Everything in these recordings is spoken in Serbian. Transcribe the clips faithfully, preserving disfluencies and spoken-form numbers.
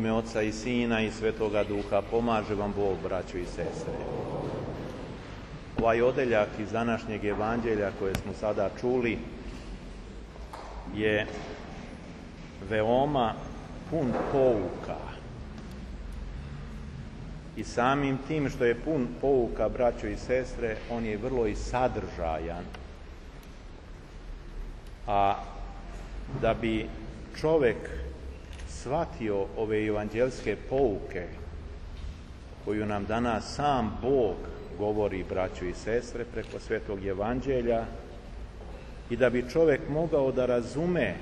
ime Oca i Sina i Svetoga Duha. Pomaže vam Bog, braćo i sestre. Ovaj odeljak iz današnjeg evanđelja koje smo sada čuli je veoma pun pouka. I samim tim što je pun pouka, braćo i sestre, on je vrlo i sadržajan. A da bi čovjek shvatio ove evanđelske pouke koju nam danas sam Bog govori, braćo i sestre, preko Svetog evanđelja, i da bi čovjek mogao da razume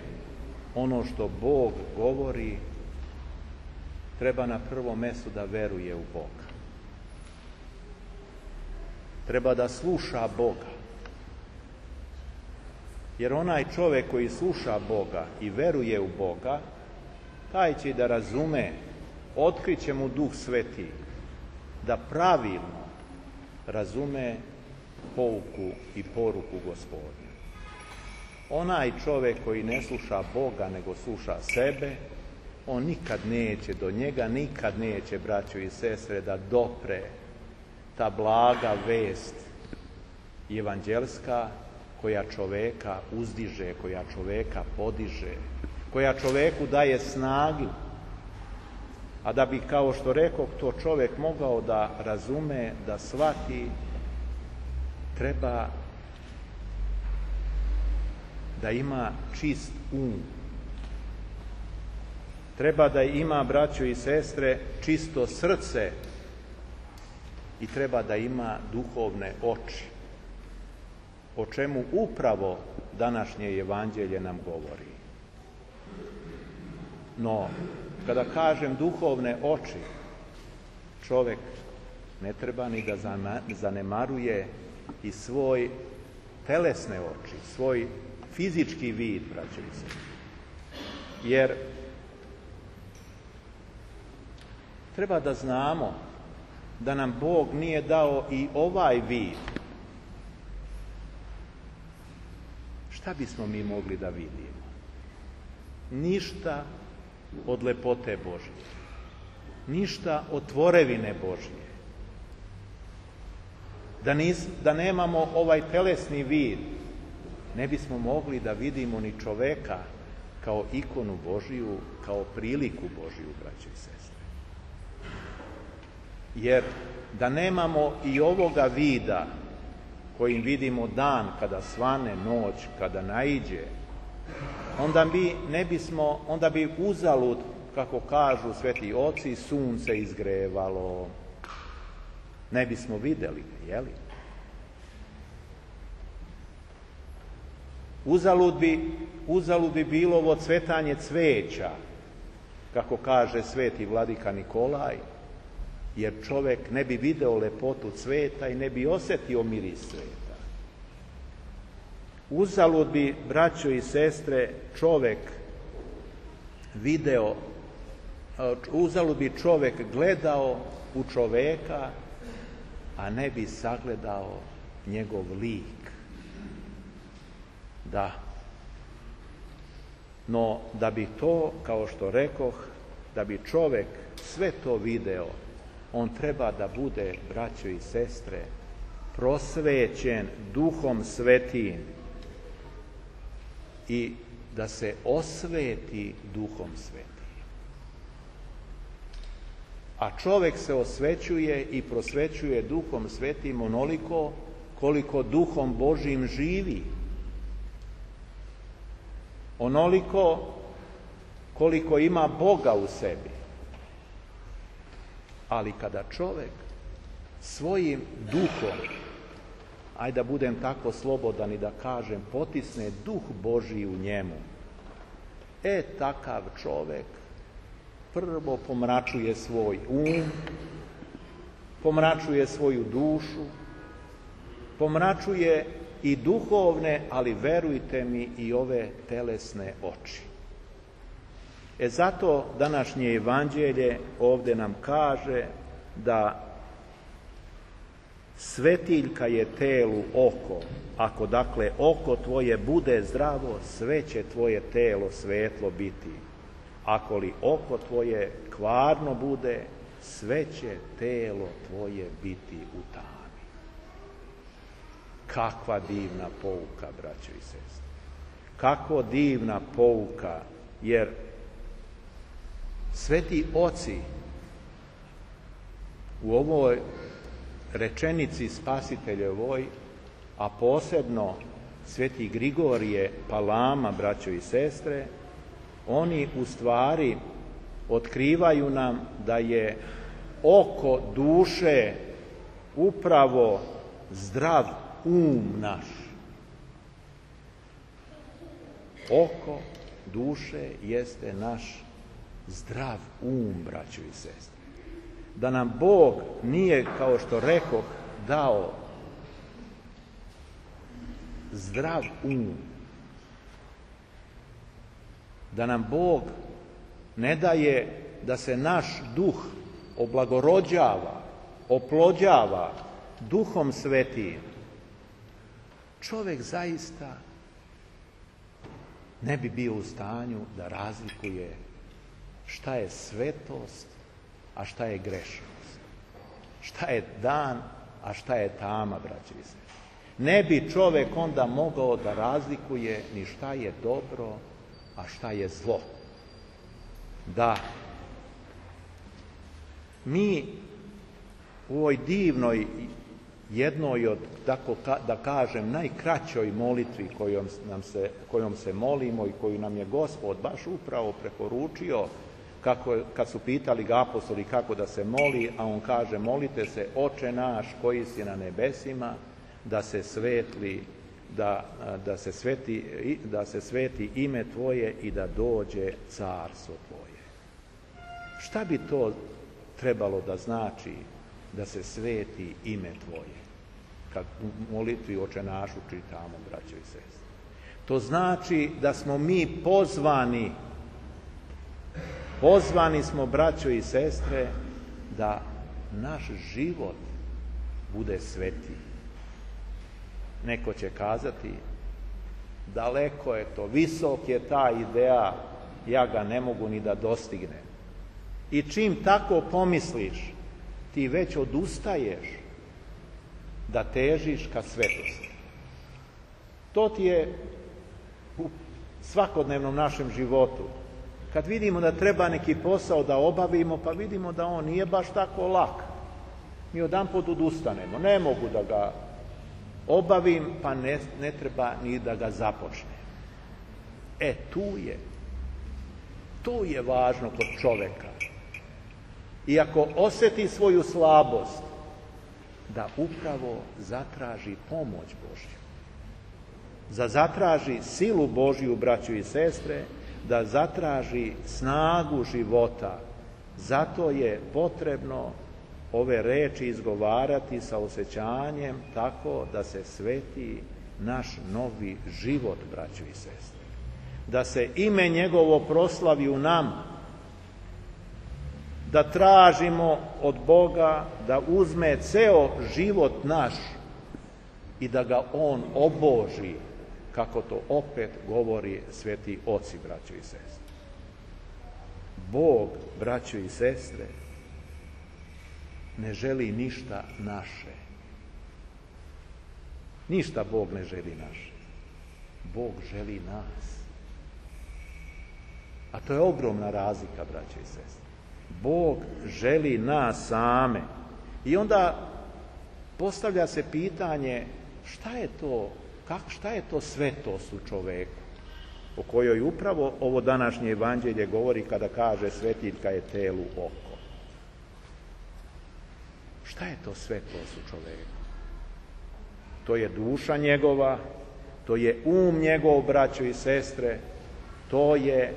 ono što Bog govori, treba na prvom mjestu da veruje u Boga. Treba da sluša Boga. Jer onaj čovjek koji sluša Boga i veruje u Boga, taj će da razume, otkriće mu Duh Sveti, da pravilno razume pouku i poruku Gospodnju. Onaj čovjek koji ne sluša Boga, nego sluša sebe, on nikad neće, do njega nikad neće, braćo i sestre, da dopre ta blaga vest evanđelska koja čoveka uzdiže, koja čoveka podiže, koja čoveku daje snagu. A da bi, kao što rekoh, to čovjek mogao da razume, da shvati, treba da ima čist um. Treba da ima, braćo i sestre, čisto srce i treba da ima duhovne oči, o čemu upravo današnje evanđelje nam govori. No, kada kažem duhovne oči, čovjek ne treba ni da zanemaruje i svoj telesne oči, svoj fizički vid, braćo i sestre. Jer treba da znamo da nam Bog nije dao i ovaj vid. Šta bismo mi mogli da vidimo? Ništa od lepote Božje. Ništa od tvorevine Božje. Da, nis, da nemamo ovaj telesni vid, ne bismo mogli da vidimo ni čoveka kao ikonu Božiju, kao priliku Božiju, braćo i sestre. Jer da nemamo i ovoga vida kojim vidimo dan kada svane, noć kada naiđe, onda bi ne bismo, onda bi uzalud, kako kažu sveti oci, sunce izgrevalo, ne bismo vidjeli, jeli? Uzalud bi, uzalud bi bilo ovo cvetanje cveća, kako kaže sveti vladika Nikolaj, jer čovjek ne bi video lepotu cveta i ne bi osjetio miris cveta. Uzalud bi, braćo i sestre, čovjek video, uzalud bi čovjek gledao u čovjeka, a ne bi sagledao njegov lik. Da. No, da bi to, kao što rekoh, da bi čovjek sve to video, on treba da bude, braćo i sestre, prosvećen Duhom Svetim i da se osveti Duhom Svetim. A čovjek se osvećuje i prosvećuje Duhom Svetim onoliko koliko Duhom Božjim živi. Onoliko koliko ima Boga u sebi. Ali kada čovjek svojim duhom, ajde da budem tako slobodan i da kažem, potisne Duh Božji u njemu, e takav čovjek prvo pomračuje svoj um, pomračuje svoju dušu, pomračuje i duhovne, ali verujte mi i ove telesne oči. E zato današnje evanđelje ovdje nam kaže da svetiljka je telu oko. Ako dakle oko tvoje bude zdravo, sve će tvoje telo svetlo biti. ako li oko tvoje kvarno bude, sve će telo tvoje biti u tami. Kakva divna pouka, braćo i sestre. Kako divna pouka, jer sveti oci u ovoj rečenici spasiteljevoj, a posebno sveti Grigorije Palama, braćo i sestre, oni u stvari otkrivaju nam da je oko duše upravo zdrav um naš. Oko duše jeste naš zdrav um, braćo i sestre. Da nam Bog nije, kao što rekoh, dao zdrav um, da nam Bog ne daje da se naš duh oblagorođava, oplođava Duhom Svetim, čovjek zaista ne bi bio u stanju da razlikuje šta je svetost, a šta je grešnost. Šta je dan, a šta je tama, braći i sestre. Ne bi čovjek onda mogao da razlikuje ni šta je dobro, a šta je zlo. Da, mi u ovoj divnoj, jednoj od, tako da kažem, najkraćoj molitvi kojom, nam se, kojom se molimo i koju nam je Gospod baš upravo preporučio, kako, kad su pitali ga apostoli kako da se moli, a on kaže: molite se, Oče naš koji si na nebesima, da se svetli, da, da, se sveti, da se sveti ime Tvoje i da dođe carstvo Tvoje. Šta bi to trebalo da znači da se sveti ime Tvoje? Kad u molitvi Oče našu čitamo, braćo i sestre. To znači da smo mi pozvani, pozvani smo, braćo i sestre, da naš život bude sveti. Neko će kazati: daleko je to, visok je ta ideja, ja ga ne mogu ni da dostignem. I čim tako pomisliš, ti već odustaješ da težiš ka svetosti. To ti je u svakodnevnom našem životu. Kad vidimo da treba neki posao da obavimo, pa vidimo da on nije baš tako lak, mi odanput odustanemo. Ne mogu da ga obavim, pa ne, ne treba ni da ga započnem. E, tu je. Tu je važno kod čoveka. I ako osjeti svoju slabost, da upravo zatraži pomoć Božju. Da zatraži silu Božju, braćo i sestre, da zatraži snagu života. Zato je potrebno ove reči izgovarati sa osjećanjem, tako da se sveti naš novi život, braćo i sestre. Da se ime njegovo proslavi u nama. Da tražimo od Boga da uzme ceo život naš i da ga on oboži, kako to opet govori sveti oci, braćo i sestre. Bog, braćo i sestre, ne želi ništa naše. Ništa Bog ne želi naše. Bog želi nas. A to je ogromna razlika, braćo i sestre. Bog želi nas same. I onda postavlja se pitanje: šta je to, kak, šta je to svetost u čoveku, o kojoj upravo ovo današnje evanđelje govori kada kaže svetiljka je telu oko. Šta je to svetost u čoveku? To je duša njegova, to je um njegov, braćo i sestre, to je,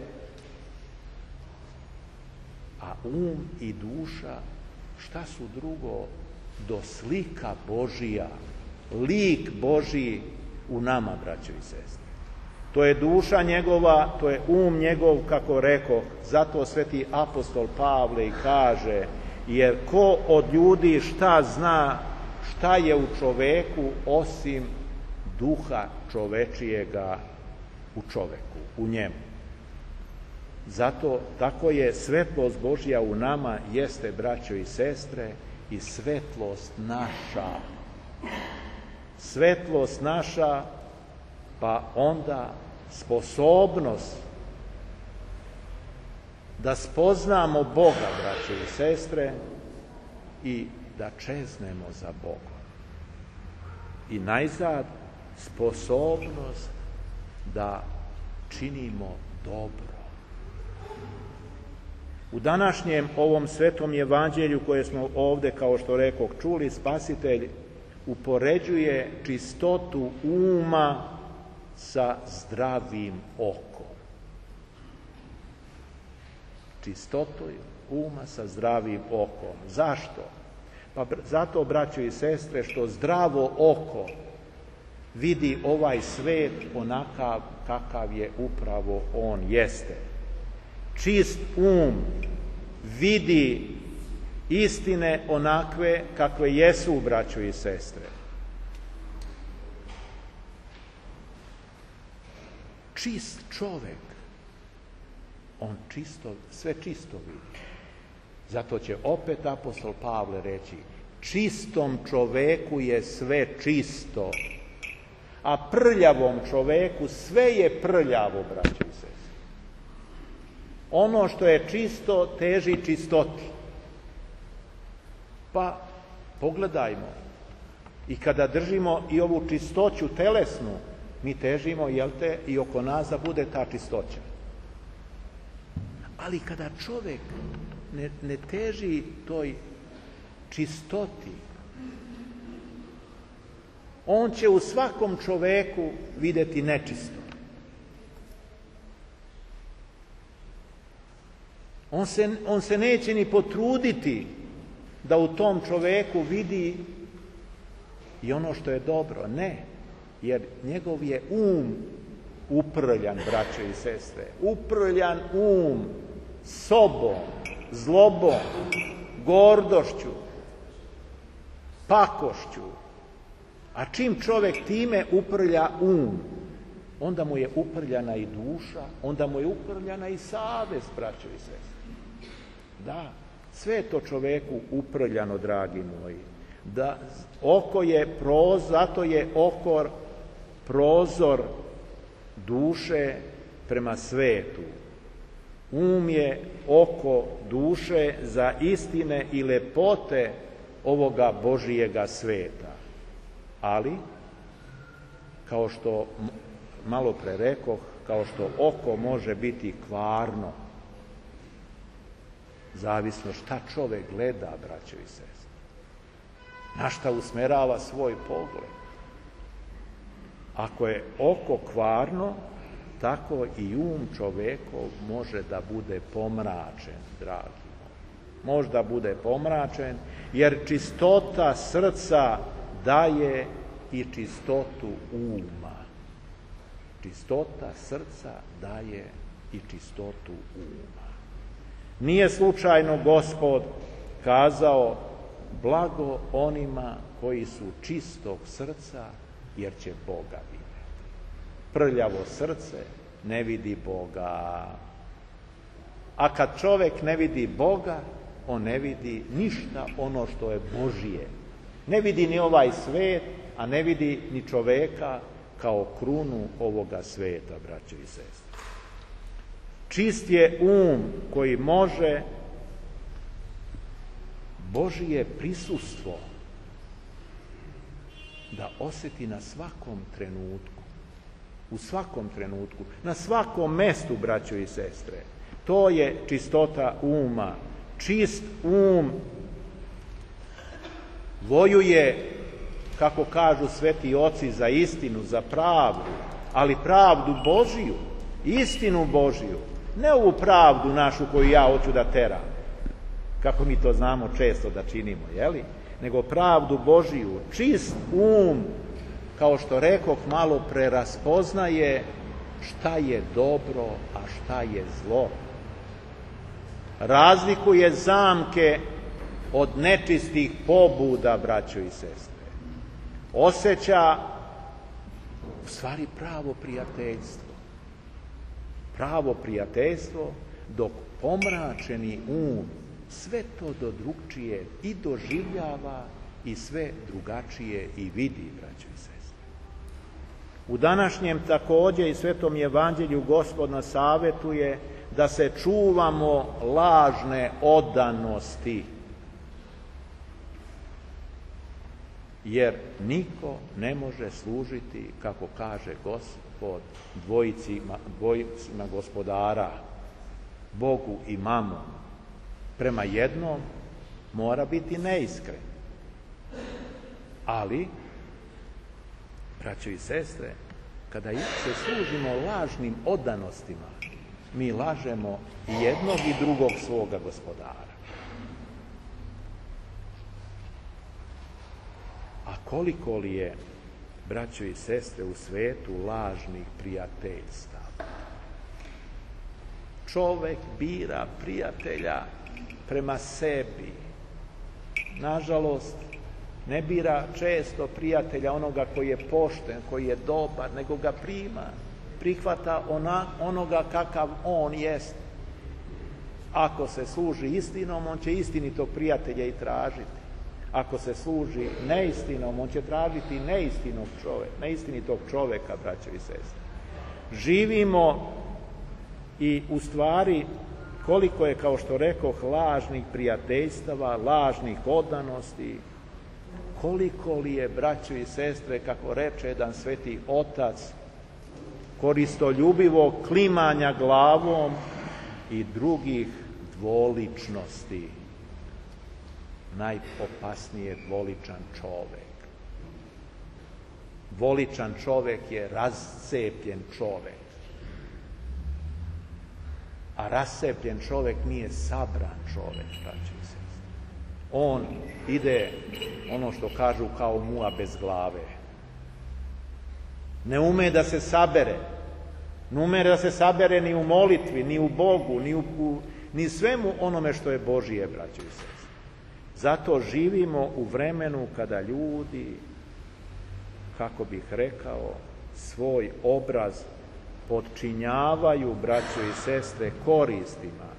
a um i duša, šta su drugo do slika Božija, lik Božji u nama, braćo i sestre. To je duša njegova, to je um njegov, kako rekoh, zato sveti apostol Pavle i kaže: jer ko od ljudi šta zna šta je u čoveku osim duha čovečijega u čoveku, u njemu. Zato tako je svetlost Božja u nama, jeste, braćo i sestre, i svetlost naša. Svetlost naša, pa onda sposobnost da spoznamo Boga, braćo i sestre, i da čeznemo za Bogom. I najzad, sposobnost da činimo dobro. U današnjem ovom svetom evanđelju koje smo ovde, kao što rekoh, čuli, Spasitelj upoređuje čistotu uma sa zdravim okom. Čistotu uma sa zdravim okom. Zašto? Pa zato, braćo i sestre, što zdravo oko vidi ovaj svet onakav kakav je upravo on jeste. Čist um vidi istine onakve kakve jesu, braćo i sestre. Čist čovek, on čisto, sve čisto vidi. Zato će opet apostol Pavle reći, čistom čoveku je sve čisto, a prljavom čoveku sve je prljavo, braćo i sestre. Ono što je čisto teži čistoti. Pa pogledajmo, i kada držimo i ovu čistoću telesnu, mi težimo, jel te, i oko nas da bude ta čistoća. Ali kada čovjek ne, ne teži toj čistoti, on će u svakom čoveku vidjeti nečisto. On se, on se neće ni potruditi da u tom čoveku vidi i ono što je dobro. Ne, jer njegov je um uprljan, braćo i sestre. Uprljan um sobom, zlobom, gordošću, pakošću. A čim čovjek time uprlja um, onda mu je uprljana i duša, onda mu je uprljana i savest, braćo i sestre. Da, sve je to čoveku uprljano, dragi moji. Da, oko je prozor, zato je oko prozor duše prema svetu. Um je oko duše za istine i lepote ovoga Božijega sveta. Ali, kao što malo pre rekoh, kao što oko može biti kvarno, zavisno šta čovek gleda, braćo i sestre, na šta usmerava svoj pogled. Ako je oko kvarno, tako i um čovekov može da bude pomračen, dragi moji. Može da bude pomračen, jer čistota srca daje i čistotu uma. Čistota srca daje i čistotu uma. Nije slučajno Gospod kazao, blago onima koji su čistog srca, jer će Boga vidjeti. Prljavo srce ne vidi Boga. A kad čovjek ne vidi Boga, on ne vidi ništa ono što je Božije. Ne vidi ni ovaj svet, a ne vidi ni čoveka kao krunu ovoga sveta, braćo i sestre. Čist je um koji može Božije prisustvo da osjeti na svakom trenutku. U svakom trenutku, na svakom mestu, braćo i sestre. To je čistota uma. Čist um vojuje, kako kažu sveti oci, za istinu, za pravdu, ali pravdu Božiju, istinu Božiju, ne ovu pravdu našu koju ja hoću da teram, kako mi to znamo često da činimo, jeli? Nego pravdu Božiju. Čist um, kao što rekoh malo pre, raspoznaje šta je dobro, a šta je zlo. Razlikuje zamke od nečistih pobuda, braćo i sestre. Osjeća u stvari pravo prijateljstvo. Pravo prijateljstvo dok pomračeni um sve to do drugčije i doživljava i sve drugačije i vidi, braćo i sestre. U današnjem također i Svetom evanđelju Gospod nas savjetuje da se čuvamo lažne odanosti, jer niko ne može služiti, kako kaže Gospod, dvojicima, dvojicima gospodara, Bogu i mamonu. Prema jednom mora biti neiskren. Ali, braćo i sestre, kada se služimo lažnim odanostima, mi lažemo i jednog i drugog svoga gospodara. A koliko li je, braćo i sestre, u svetu lažnih prijateljstava? Čovek bira prijatelja prema sebi. Nažalost, ne bira često prijatelja onoga koji je pošten, koji je dobar, nego ga prima, prihvata ona, onoga kakav on jest. Ako se služi istinom, on će istinitog prijatelja i tražiti. Ako se služi neistinom, on će tražiti neistinog čoveka, neistinitog čoveka, braćo i sestre. Živimo i u stvari koliko je, kao što rekoh, lažnih prijateljstava, lažnih odanosti, koliko li je, braćo i sestre, kako reče jedan sveti otac, koristoljubivog klimanja glavom i drugih dvoličnosti. Najopasnije je dvoličan čovek. Dvoličan čovek je rascepljen čovek. A rascepljen čovek nije sabran čovek, braćo i sestre. On ide, ono što kažu, kao muha bez glave. Ne ume da se sabere. Ne ume da se sabere ni u molitvi, ni u Bogu, ni u, ni svemu onome što je Božije, braćo i sestre. Zato živimo u vremenu kada ljudi, kako bih rekao, svoj obraz podčinjavaju, braćo i sestre, koristima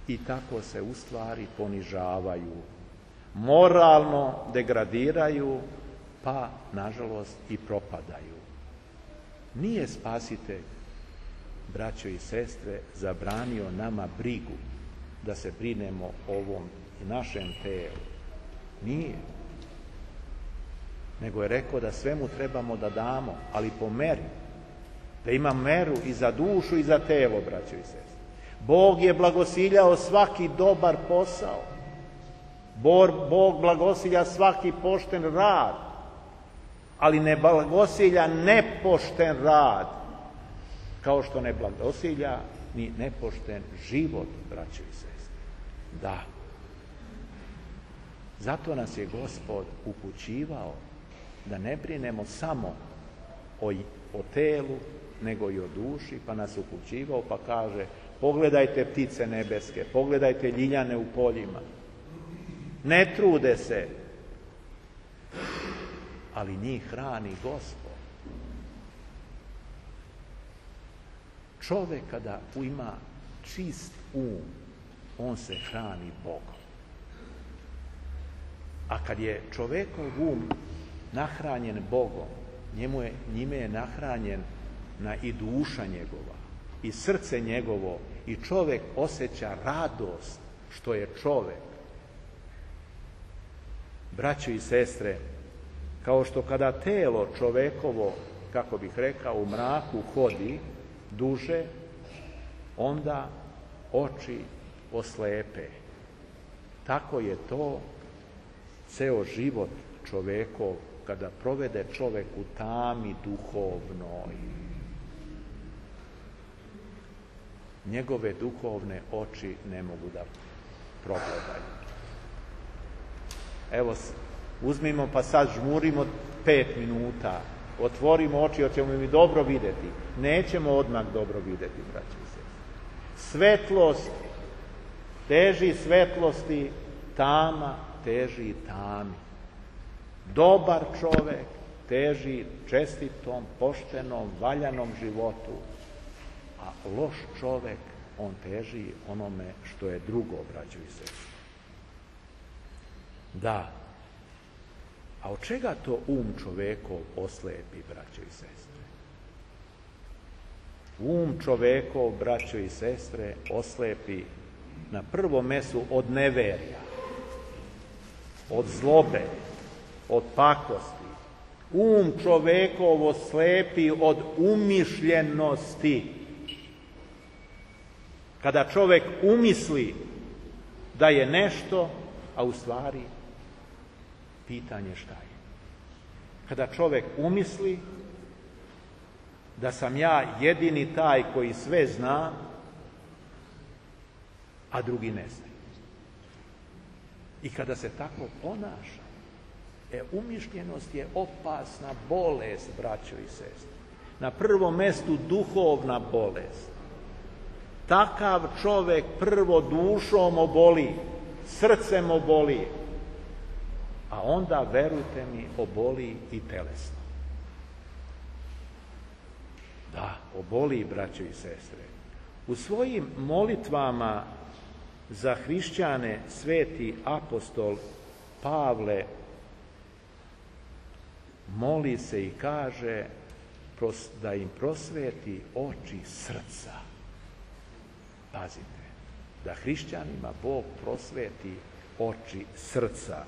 i tako se u stvari ponižavaju, moralno degradiraju, pa nažalost i propadaju. Nije Spasitelj, braćo i sestre, zabranio nama brigu da se brinemo o ovom i našem telu. Nije. Nego je rekao da svemu trebamo da damo, ali po meri. Da ima meru i za dušu i za telo, braćo i sestre. Bog je blagosiljao svaki dobar posao. Bog blagosilja svaki pošten rad, ali ne blagosilja nepošten rad, kao što ne blagosilja ni nepošten život, braćo i sestre. Da. Zato nas je Gospod upućivao da ne brinemo samo o, o telu, nego i o duši, pa nas upućivao, pa kaže: pogledajte ptice nebeske, pogledajte ljiljane u poljima. Ne trude se, ali njih hrani Gospod. Čovek kada ima čist um, on se hrani Bogom. A kad je čovekov um nahranjen Bogom, njemu je, njime je nahranjen na i duša njegova, i srce njegovo, i čovek osjeća radost što je čovek. Braćo i sestre, kao što kada telo čovekovo, kako bih rekao, u mraku hodi duže, onda oči oslepe. Tako je to ceo život čovekov, kada provede čovek u tami duhovnoj. Njegove duhovne oči ne mogu da progledaju. Evo, uzmimo pa sad žmurimo pet minuta, otvorimo oči, hoćemo mi dobro videti. Nećemo odmah dobro videti, braći i sestre. Svetlost teži svetlosti, tama teži tami. Dobar čovek teži čestitom, poštenom, valjanom životu, a loš čovek on teži onome što je drugo, braćo i sestre. Da. A od čega to um čovekov oslepi, braćo i sestre? Um čovekov, braćo i sestre, oslepi na prvom mestu od neverja, od zlobe, od pakosti. Um čovekov oslepi od umišljenosti. Kada čovek umisli da je nešto, a u stvari pitanje šta je. Kada čovek umisli da sam ja jedini taj koji sve zna, a drugi ne zna. I kada se tako ponaša, e, umišljenost je opasna bolest, braćo i sestre. Na prvom mestu duhovna bolest. Takav čovek prvo dušom oboli, srcem oboli, a onda, verujte mi, oboli i telesno. Da, oboli, braćo i sestre. U svojim molitvama za hrišćane sveti apostol Pavle moli se i kaže da im prosveti oči srca. Pazite, da hrišćanima Bog prosveti oči srca,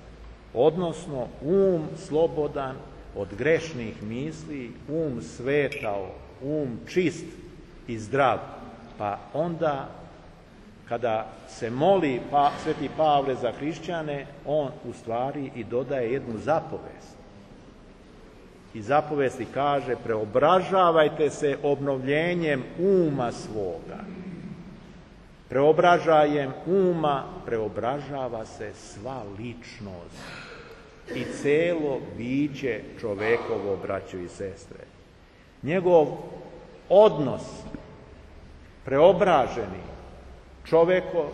odnosno um slobodan od grešnih misli, um svetao, um čist i zdrav. Pa onda, kada se moli pa, sveti Pavle za hrišćane, on u stvari i dodaje jednu zapovest. I zapovesti kaže: preobražavajte se obnovljenjem uma svoga. Preobražajem uma preobražava se sva ličnost i celo biće čovekovo, braćo i sestre. Njegov odnos preobraženi čoveko,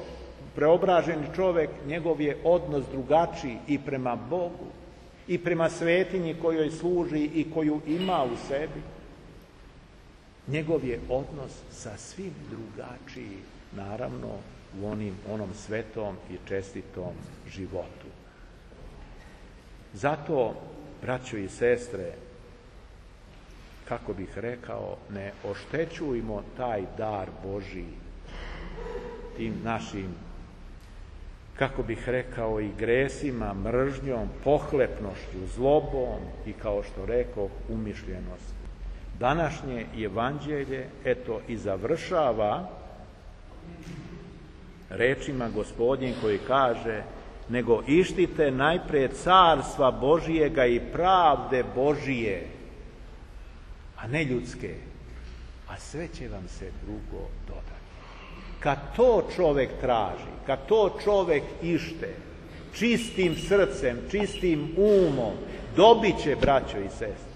preobraženi čovek, njegov je odnos drugačiji i prema Bogu i prema svetinji kojoj služi i koju ima u sebi. Njegov je odnos sa svim drugačiji, naravno, u onim, onom svetom i čestitom životu. Zato, braćo i sestre, kako bih rekao, ne oštećujmo taj dar Božiji tim našim, kako bih rekao, i gresima, mržnjom, pohlepnošću, zlobom i, kao što rekao, umišljenosti. Današnje evanđelje, eto, i završava rečima Gospodnjim koji kaže: nego ištite najpre carstva Božijega i pravde Božije, a ne ljudske, a sve će vam se drugo dodati. Kad to čovek traži, kad to čovek ište, čistim srcem, čistim umom, dobit će, braćo i sestre.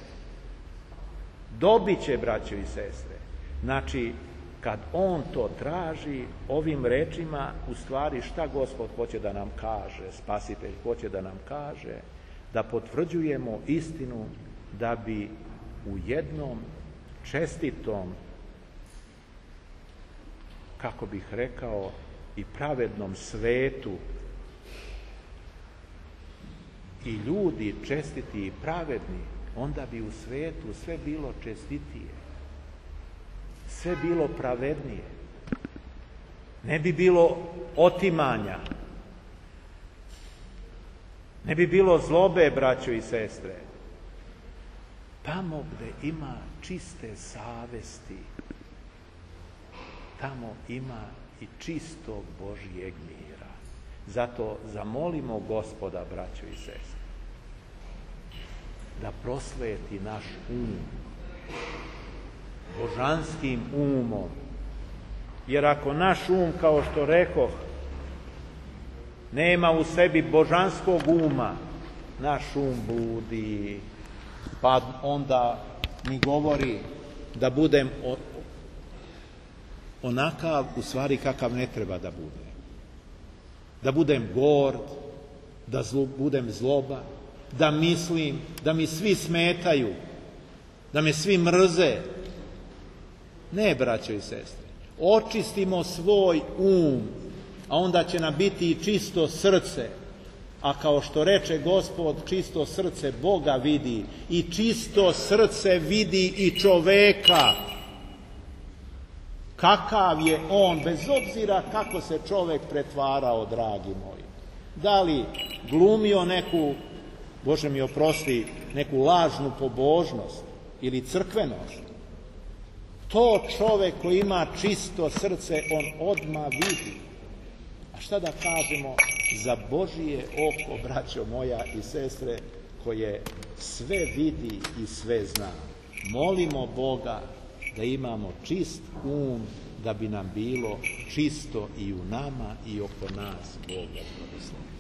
Dobit će, braćo i sestre. Znači, kad on to traži, ovim rečima, u stvari šta Gospod hoće da nam kaže, Spasitelj hoće da nam kaže, da potvrđujemo istinu, da bi u jednom čestitom, kako bih rekao, i pravednom svetu i ljudi čestiti i pravedni, onda bi u svetu sve bilo čestitije, sve bilo pravednije. Ne bi bilo otimanja, ne bi bilo zlobe, braćo i sestre. Tamo gde ima čiste savesti, tamo ima i čistog Božijeg mira. Zato zamolimo Gospoda, braćo i sestre, da prosveti naš um božanskim umom. Jer ako naš um, kao što rekoh, nema u sebi božanskog uma, naš um bludi, pa onda mi govori da budem onakav, u stvari, kakav ne treba da bude. Da budem gord, da zlo, budem zloba, da mislim, da mi svi smetaju, da me svi mrze. Ne, braćo i sestre. očistimo svoj um, a onda će nam biti i čisto srce. A kao što reče Gospod, čisto srce Boga vidi i čisto srce vidi i čoveka. Kakav je on, bez obzira kako se čovek pretvarao, dragi moji. Da li glumio neku, Bože mi oprosti, neku lažnu pobožnost ili crkvenost, to čovek koji ima čisto srce, on odmah vidi. A šta da kažemo za Božije oko, braćo moja i sestre, koje sve vidi i sve zna. Molimo Boga da imamo čist um, da bi nam bilo čisto i u nama i oko nas. Boga blagoslovi.